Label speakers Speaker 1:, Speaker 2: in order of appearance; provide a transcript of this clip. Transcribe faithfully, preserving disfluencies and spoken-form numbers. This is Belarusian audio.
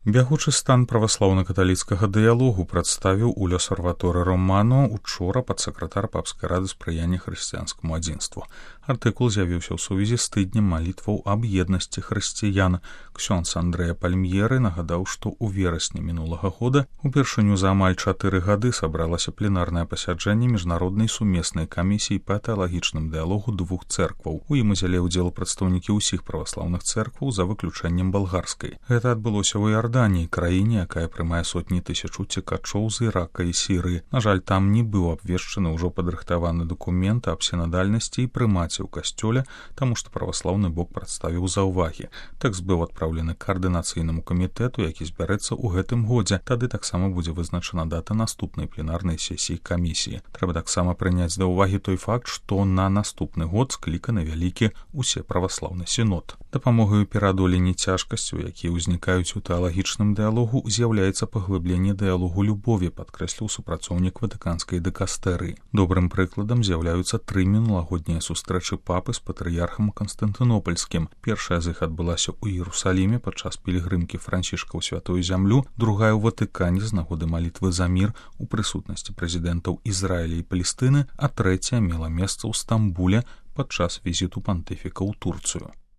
Speaker 1: Бягучы стан праваслаўна-каталіцкага дыялогу прадставіў у L'Osservatore Romano учора падсакратар папскай рады спрыяння хрысціянскаму адзінству. Артыкул з'явіўся ў сувязі з тыднем малітваў аб еднасці хрысціян. Ксёндз Андрэа Пальмьеры нагадаў, што ў верасні мінулага года упершыню за амаль чатыры гады сабралася пленарнае пасяджэнне міжнароднай сумеснай камісіі па тэалагічным дыялогу двух цэркваў. У ім узялі ўдзел прадстаўнікі ўсіх праваслаўных цэркваў за выключэннем балгарскай. Гэта адбылося ў Іорданіі, краіне, якая прымае сотні тысяч уцекачоў з Ірака і Сірыі. На жаль, там не быў абвешчаны ўжо падрыхтаваны дакумент аб сінадальнасці і прымаце ў касцёле, таму што праваслаўны бок прадставіў заўвагі. Тэкст быў адпраўлены каардынацыйнаму камітэту, які збярэцца ў гэтым годзе. Тады таксама будзе вызначана дата наступнай пленарнай сесіі камісіі. Трэба таксама прыняць да ўвагі той факт, што на наступны год скліканы вялікі усеправаслаўны сінод. Дапамогай у пераадоленні цяжкасцяў, якія ўзнікаюць у тэалагічным дыялогу, з'яўляецца паглыбленне дыялогу любові, падкрэсліў супрацоўнік ватыканскай дыкастэрыі. Добрым прыкладам з'яўляюцца тры мінулагоднія сустрэчы папы з патрыярхам Канстантынопольскім. Першая з іх адбылася ў Іерусаліме падчас пілігрымкі Францішка ў святую зямлю, другая ў Ватыкане з нагоды малітвы за мір у прысутнасці прэзідэнтаў Ізраіля і Палестыны, а трэцяя мела месца ў Стамбуле падчас візіту пантыфіка ў Турцыю.